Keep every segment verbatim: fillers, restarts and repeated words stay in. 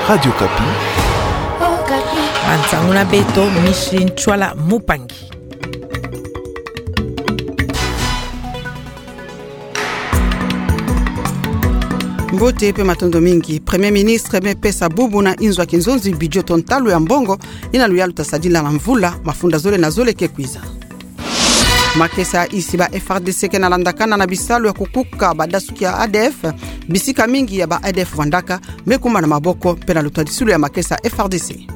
Radio Okapi. Manzangula beto Micheline Chwala Mupangi. Mbote pe matondo mingi. Premier ministre me pesa bubu na inzo ya kinzonzi, budget to ntalu ya mbongo ina luyalu ta sadila na mvula mafunda zole na zole ke kwiza. Makesa ya insi, ba F R D C ke na landakana na bisalu ya kukuka badasuki ya A D F. Bisika mingi ya ba A D F vandaka me kuma na maboko pe na lutadisilu ya makesa ya F R D C.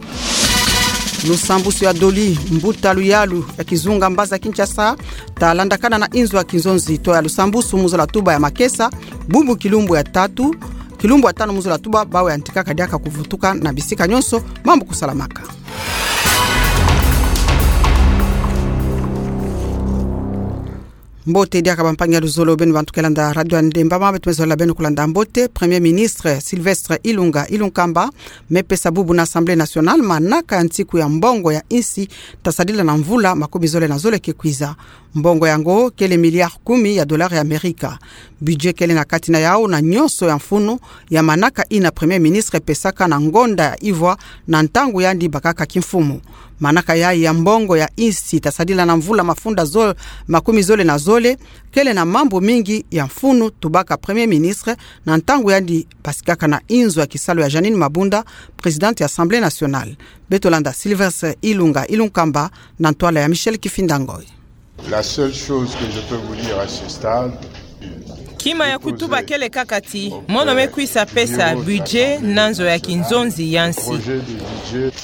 Lusambusu ya doli mbuta luyalu ya kizunga mbazi ya Kinshasa ta landakana na inzo ya kinzonzi to ya lusambusu mu zola tuba ya makesa, bubu kilumbu ya tatu, kilumbu ya tanu mu zola tuba, bawe yantikaka diaka kuvutuka na bisika nyonso, mambu kusalamaka. Mbote diaka bampangi ya luzolo, beno bantu ke landa Radio Ndemba, ma beto me zola beno kulanda mbote. Premier ministre Sylvestre Ilunga Ilunkamba me pesa bubu na Assemblée nationale manaka ya nsiku ya mbongo ya insi ta sadila na mvula makumi zole na zole ke kwiza. Mbongo yango kele milliard kumi ya dollars ya Amerika. Budget kele na kati na yau na nyonso ya mfunu ya manaka ina premier ministre pesaka na ngonda ya ivwa na ntangu yandi bakaka kimfumu. Manaka yayi ya mbongo ya insi ta sadila na mvula mafunda zol-, makumi zole na zole, kele na mambu mingi ya mfunu tubaka premier ministre na ntangu yandi basikaka na inzo ya kisalu ya Jeanine Mabunda, présidente ya Assemblée nationale. Beto landa Sylvestre Ilunga Ilunkamba na ntwala ya Michel Kifinda Ngoi. La seule chose que je peux vous dire à ce stade, kima ya kutuba kele kaka ti mono me kwisa pesa budget na nzo ya kinzonzi ya nsi.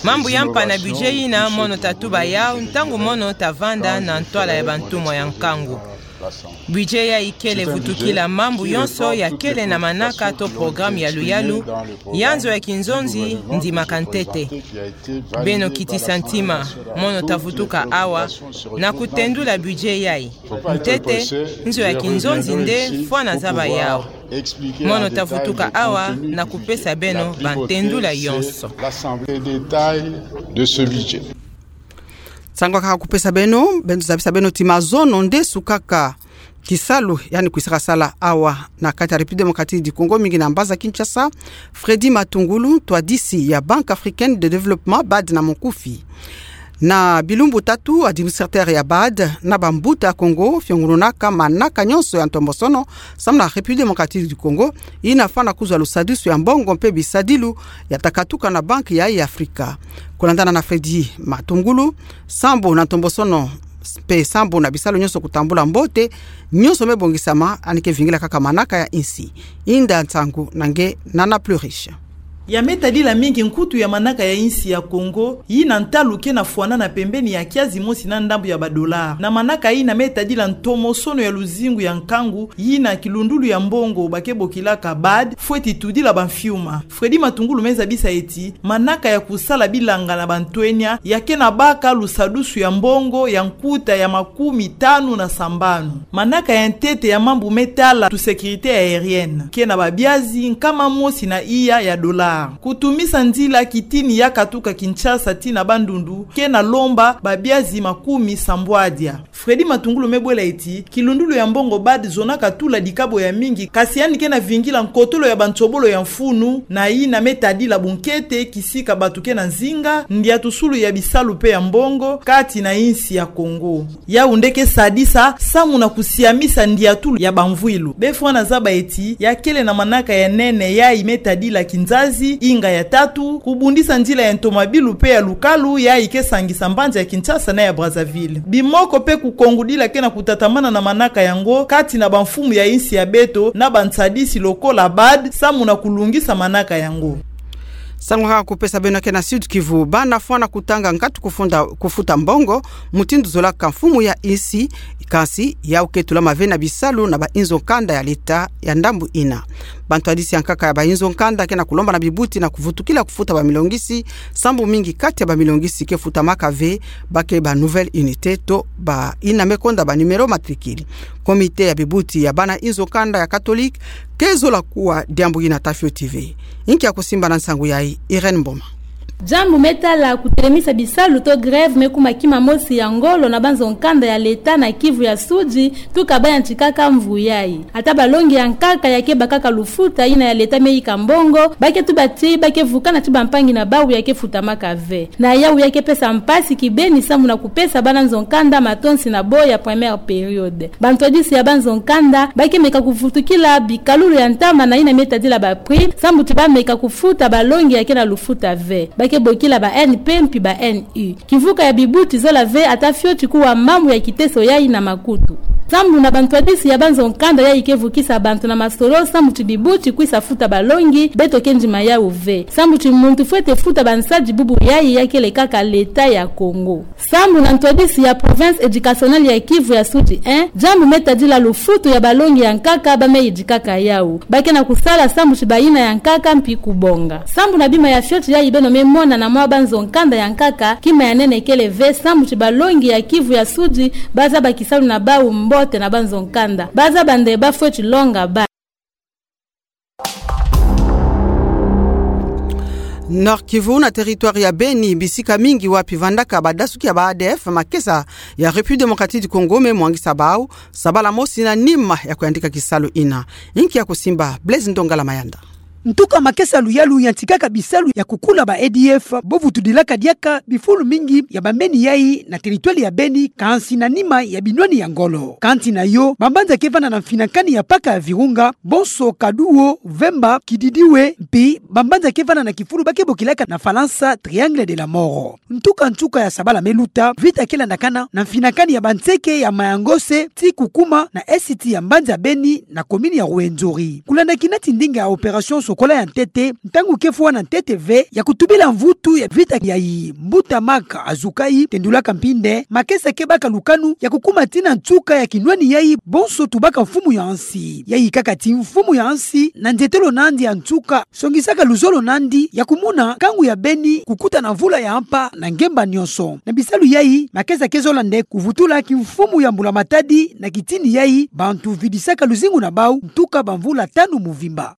Mambu ya mpa na budget ina mono ta tuba yau ntangu mono ta vanda na ntwala ya bantumwa ya nkangu. Budget yayi kele vutukila mambu yonso ya kele na manaka to programme ya luyalu ya nzo ya kinzonzi ndimaka ntete. Beno kitisa ntima, mono ta vutuka awa na kutendula budget yayi. Ntete, nzo ya kinzonzi nde fwana zaba yau. Mono ta vutuka awa na kupesa beno bantendula yonso. L'Assemblée détail de ce budget. Nsangu kaka kupesa beno, beno zabisa beno ti mazono nde sukaka kisalu, yandi kwisaka sala awa na kati ya République démocratique du Congo, mingi na mbazi ya Kinshasa. Freddy Matungulu, ntwadisi ya Banque africaine de développement, bad na mukufi. Na bilumbu tatu, administrateur ya bad na bambuta ya Congo fiongununaka manaka nyonso ya ntombosono samu na République démocratique du Congo, ina fwana kuzwa lusadusu ya mbongo mpe bisadilu ya ta katuka na Banque ya, ya Afrika. Kulandana na Freddy Matungulu, sambu na ntombosono mpe sambu na bisalu nyonso kutambula mbote, nyonso me bongisama, yandi ke vingila kaka manaka ya insi. Inda nsangu na nge Nana Pluriche. Ya me tadila mingi nkutu ya manaka ya insi ya Congo, yina ntalu ke na fwanana pembeni ya kiazi mosi na ndambu ya ba dollars. Na manaka yina me tadila ntomosono ya luzingu ya nkangu, yina kilundulu ya mbongo ba ke bokilaka bad, fweti tudila bamfiuma. Freddy Matungulu me zabisa ti manaka ya kusala bilanga na bantwenia ya ke na baka lusadusu ya mbongo ya nkuta ya makumi tanu na sambanu. Manaka ya ntete ya mambu me tala tu sécurité aérienne ke na babiazi nkama mosi na iya ya dollars. Kutumisa nzila kitini ya katuka Kinshasa tii na Bandundu ke na lomba babiazi makumi sambwadia. Freddy Matungulu me bwela ti kilundulu ya mbongo bad zonaka tula dikabo ya mingi, kasi yandi ke na vingila nkotolo ya bansobolo ya mfunu, na yina me tadila bunkete kisika batu ke na nzinga, ndiatusulu ya bisalu mpe ya mbongo kati na insi ya Congo. Yau nde ke sadisa samu na kusiamisa ndiatulu ya bamvwilu. Be fwana zaba ti ya kele na manaka ya nene yayi me tadila kinzazi, inga ya tatu, kubundisa nzila ya ntomabilu mpe ya lukalu yayi ke sangisa mbanza ya Kinshasa na ya Brazzaville. Bimoko mpe kukongudila ke na kutatamana na manaka yango kati na bamfumu ya insi ya beto na bansadisi lokola bad samu na kulungisa manaka yango. Nsangu kaka kupesa beno ke na Sud-Kivu, bana fwana kutanga nkatu kufunda, kufuta mbongo mutindu zolaka mfumu ya insi, kansi yau ke tulama ve na bisalu na bainzo nkanda ya leta ya ndambu ina. Bantwadisi ya nkaka ya bainzo nkanda ke na kulomba na bibuti na kuvutukila kufuta bamilongisi, sambu mingi kati ya bamilongisi ke futamaka ve, ba ke ba nouvelle unité to ba ina me konda ba numéro matricule. Comité ya bibuti ya bana inzo nkanda ya Catholique ke zola kuwa diambu ina ta fioti ve. Inki ya kusimba na nsangu yayi, Irène Mboma. Diambu me tala kutelemisa bisalu to grève me kuma kima mosi ya ngolo na banzo nkanda ya leta na Kivu ya Sudi, tuka bayantikaka mvu yayi. Ata balongi ya nkaka ya ke bakaka lufuta yina ya leta me yika mbongo, ba ke tuba ti ba ke vukana ti bampangi na bawu ya ke futamaka ve. Na yawu ya ke pesa mpasi kibeni sambu na kupesa bana nzo nkanda matonsi na bo ya première période. Bantwadisi ya banzo nkanda ba ke meka kuvutukila bikalulu ya ntama na yina me tadila ba prix, sambu ti ba meka kufuta balongi ya ke na lufuta ve. Ba ke bokila ba N P mpi ba N U. Kivuka ya bibuti zola ve ata fioti kuwa mambu ya kiteso yayi na makutu. Sambu na bantwadisi ya banzo nkanda yayi ke vukisa bantu na masolo, sambu ti bibuti kwisa futa balongi, beto ke ndima yawu ve. Sambu ti muntu fwete futa bansadi bubu yayi ya kele kaka leta ya Congo. Sambu na ntwadisi ya Province Educationnelle ya Kivu ya Sudi un, diambu me tadila lufutu ya balongi ya nkaka ba me yidikaka yawu. Ba ke na kusala sambu ti bayina ya nkaka mpi kubonga. Sambu na bima ya fioti yayi beno me mona na mwa banzo nkanda ya nkaka, kima ya nene kele ve sambu ti balongi ya Kivu ya Sudi ba zaba kisalu na bawu mbote na banzo nkanda. Ba zaba nde ba fweti longa ba. Nord-Kivu na territoire ya Beni, bisika mingi wapi vandaka badasuki ya ba A D F, makesa ya République Démocratique du Congo me mwangisa bawu, sabala mosi na nima ya kuyandika kisalu yina. Inki ya kusimba, Blaise Ndongala Mayanda. Ntuka makesa luyalu yantikaka bisalu ya kukula ba A D F, bo vutudilaka diaka bifulu mingi ya bambeni yayi na territoire ya Beni, kansi na nima ya binwani ya ngolo. Kansi na yo, bambanza ke vanda na mfinakani ya paka ya virunga, Bonso, Kaduo, Vemba, Kididiwe, mpi bambanza ke vanda na kifulu ba ke bokilaka na Falansa Triangle de la Mort. Ntuka ntuka ya sabala me luta, vita ke landakana na mfinakani ya banseke ya Mayangose, ti kukuma na esiti ya mbanza Beni na commune ya Rwenzori. Kulanda kina ti ndinga ya opération Sokola ya ntete, ntangu ke fwa na ntete ve ya kutubila mvutu ya vita yayi. Mbuta Marc Azukai tendulaka mpi nde makesa ke baka lukanu ya kukuma tina ntuka ya kinwani yayi, bonso tubaka mfumu ya nsi. Yayi kaka ti mfumu ya nsi na nzietolo nandi ya ntuka songisaka luzolo nandi ya kumona nkangu ya Beni kukuta na mvula ya mpa na ngemba nyonso. Na bisalu yayi, makesa ke zola nde kuvutula kimfumu ya mbula matadi na kitini yayi, bantu vidisaka luzingu na bawu ntuka bamvula tanu muvimba.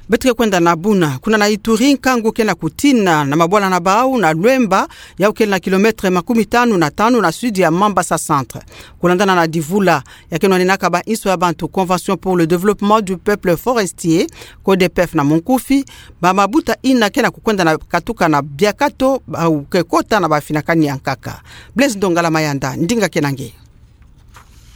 Beto ke kwenda na buna, kuna na Ituri, nkangu ke na kutina na mabwala na bawu na Luemba, yawu kele na kilomètre makumi tanu na tanu na sud ya Mambasa Centre. Kulandana na divula ya ke nwaninaka ba inso ya bantu, Convention pour le Développement du Peuple Forestier, CODEPEF na monkufi, ba mabuta yina ke na kukwenda na katuka na biakato, bawu ke kota na bamfinakani ya nkaka. Blaise Ndongala Mayanda, ndinga ke na nge.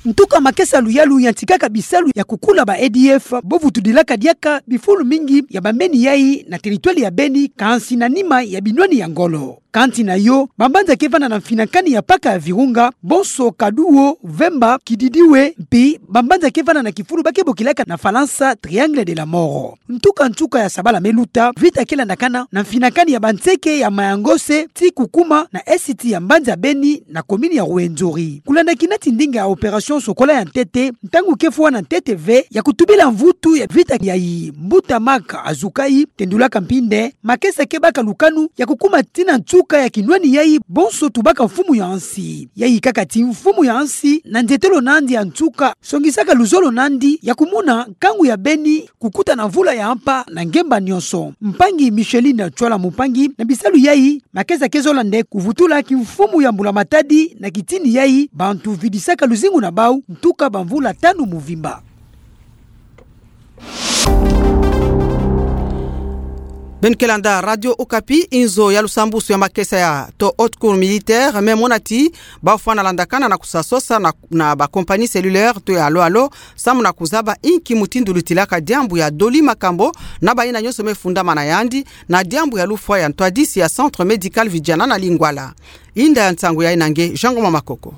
Ntuka makesa luyalu yantikaka bisalu ya kukula ba A D F, bo vutudilaka diaka bifulu mingi ya bambeni yayi na territoire ya Beni, kansi na nima ya binwani ya ngolo. Kansi na yo, bambanza ke vanda na mfinakani ya paka ya virunga, Bonso, Kaduo, Vemba, Kididiwe, mpi bambanza ke vanda na kifulu ba ke bokilaka na Falansa Triangle de la Mort. Ntuka ntuka ya sabala me luta, vita ke landakana na mfinakani ya banseke ya Mayangose, ti kukuma na esiti ya mbanza Beni na commune ya Rwenzori. Kulanda kina ti ndinga ya opération Sokola ya ntete, ntangu ke fwa na ntete ve ya kutubila mvutu ya vita yayi. Mbuta Marc Azukai tendulaka mpi nde makesa ke baka lukanu ya kukuma tina ntuka ya kinwani yayi, bonso tubaka mfumu ya nsi. Yayi kaka ti mfumu ya nsi na nzietolo nandi ya ntuka songisaka luzolo nandi ya kumona nkangu ya Beni kukuta na mvula ya mpa na ngemba nyonso. Mpangi Micheline Tchwala Mumpangi, na bisalu yayi, makesa ke zola nde kuvutula kimfumu ya mbula matadi na kitini yayi, bantu vidisaka luzingu na bawu ntuka bamvula tanu muvimba. Beno ke landa Radio Okapi. Inzo ya lusambusu ya makesa ya to Haute Cour militaire me mona ti bafwana landakana na kusasosa na, na ba compagnie cellulaire to ya Alo Alo, samu na kuzaba inki mutindu lutilaka diambu ya doli makambo na bayina nyonso me fundamana yandi, na diambu ya lufwa ya ntwadisi ya Centre Médical Vidiana na Lingwala. Inda ya nsangu yayi na nge Jean Ngoma Makoko.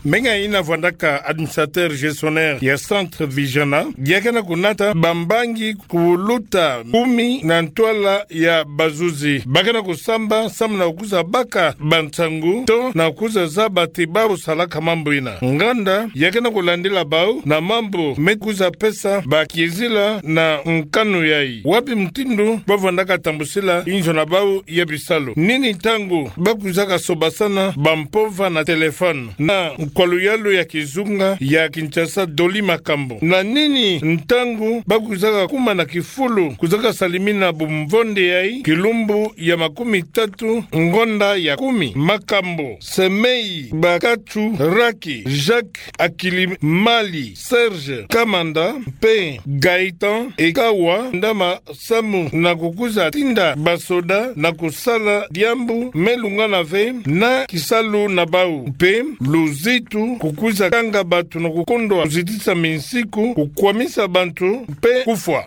Menga yina vwandaka administrateur gestionnaire ya Centre Vidiana, ya ke na kunata bambangi kuluta kumi na ntwala ya bazuzi. Ba ke na kusamba samu na kukuza baka bansangu to na kukuza zaba ti bawu salaka mambu yina. Nganda ya ke na kulandila bawu na mambu me kukuza pesa bakiezila na nkanu yayi. Wapi mutindu bavwandaka tambusila inzo na bawu ya bisalu? Nini ntangu bakuzaka sobasana bampova na téléphone? Na kwa luyalu ya kizunga ya Kinshasa Dolly Makambo. Na nini ntangu ba kwizaka kuma na kifulu kwizaka salimina bumvonde yayi, kilumbu ya makumi tatu ngonda ya kumi? Makambo, Semei Bakatu Raki, Jacques Akilimali, Serge Kamanda mpe Gaëtan Ekawa, ndama samu na kukwiza tinda basoda na kusala diambu me lungana ve na kisalu na bau, mpe luzitu kukwiza kanga bantu na kukondwa kuzitisa minsiku, kukwamisa bantu mpe kufwa.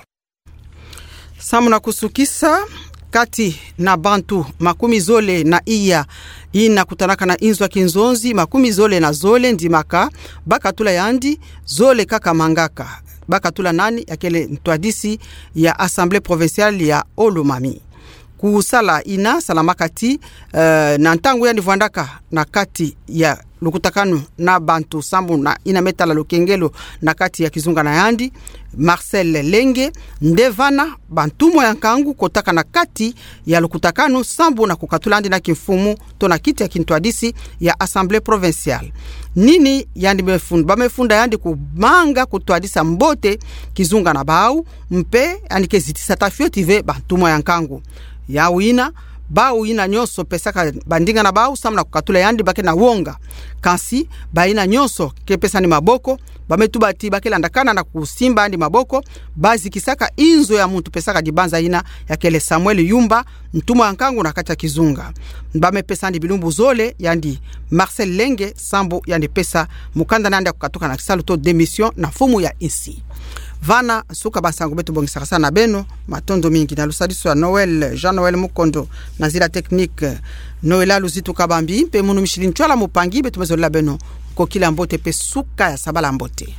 Samu na kusukisa, kati na bantu makumi zole na iya ina kutanaka na inzo ya kinzonzi, makumi zole na zole ndimaka ba katula yandi, zole kaka mangaka. Ba katula nani? Ya kele ntwadisi ya Assemblée provinciale ya Haut-Lomami. Kusala ina salamaka ti, eh, na ntangu yandi vwandaka na kati ya lukutakanu na bantu sambu na ina me tala lukengelo na kati ya kizunga na yandi, Marcel Lenge, nde vana bantumwa ya nkangu kotaka na kati ya lukutakanu sambu na kukatula yandi na kimfumu to na kiti ya kintwadisi ya Assemblée provinciale. Nini yandi me fun-, ba me funda yandi kumanga kutwadisa mbote kizunga na bau, mpe yandi ke zitisa tafioti ve bantumwa ya nkangu. Yau ina, bau ina nyonso pesaka bandinga na bau samu na kukatula yandi ba ke na wonga. Kansi, ba ina nyonso ke pesa yandi maboko, ba me tuba ti ba ke landakana na kusimba yandi maboko, ba zikisaka inzo ya muntu pesaka dibanza ina ya kele Samuel Yumba, ntumwa ya nkangu na kati ya kizunga. Ba me pesa yandi bilumbu zole, yandi Marcel Lenge, sambu yandi pesa mukanda na yandi ya kukatuka na kisalu to démission na mfumu ya insi. Vana suka ba nsangu beto bongisaka sa na beno, matondo mingi na lusadisu ya Noël, Jean-Noël Mukondo, na nzila technique, Noëlla Luzitu Kabambi, mpe munu Micheline Ntsoila Mupangi, beto me zolela beno nkokila mbote mpe suka ya sabala mbote.